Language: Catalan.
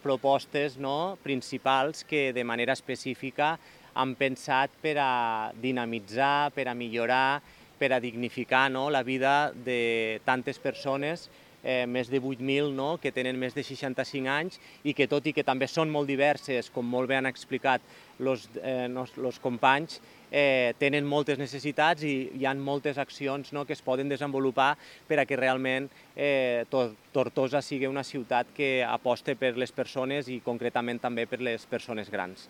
propostes principals que de manera específica han pensat per a dinamitzar, per a millorar, per a dignificar la vida de tantes persones, més de 8.000 que tenen més de 65 anys i que, tot i que també són molt diverses, com molt bé han explicat els companys, tenen moltes necessitats i hi ha moltes accions que es poden desenvolupar per a que realment Tortosa sigui una ciutat que aposta per les persones i concretament també per les persones grans.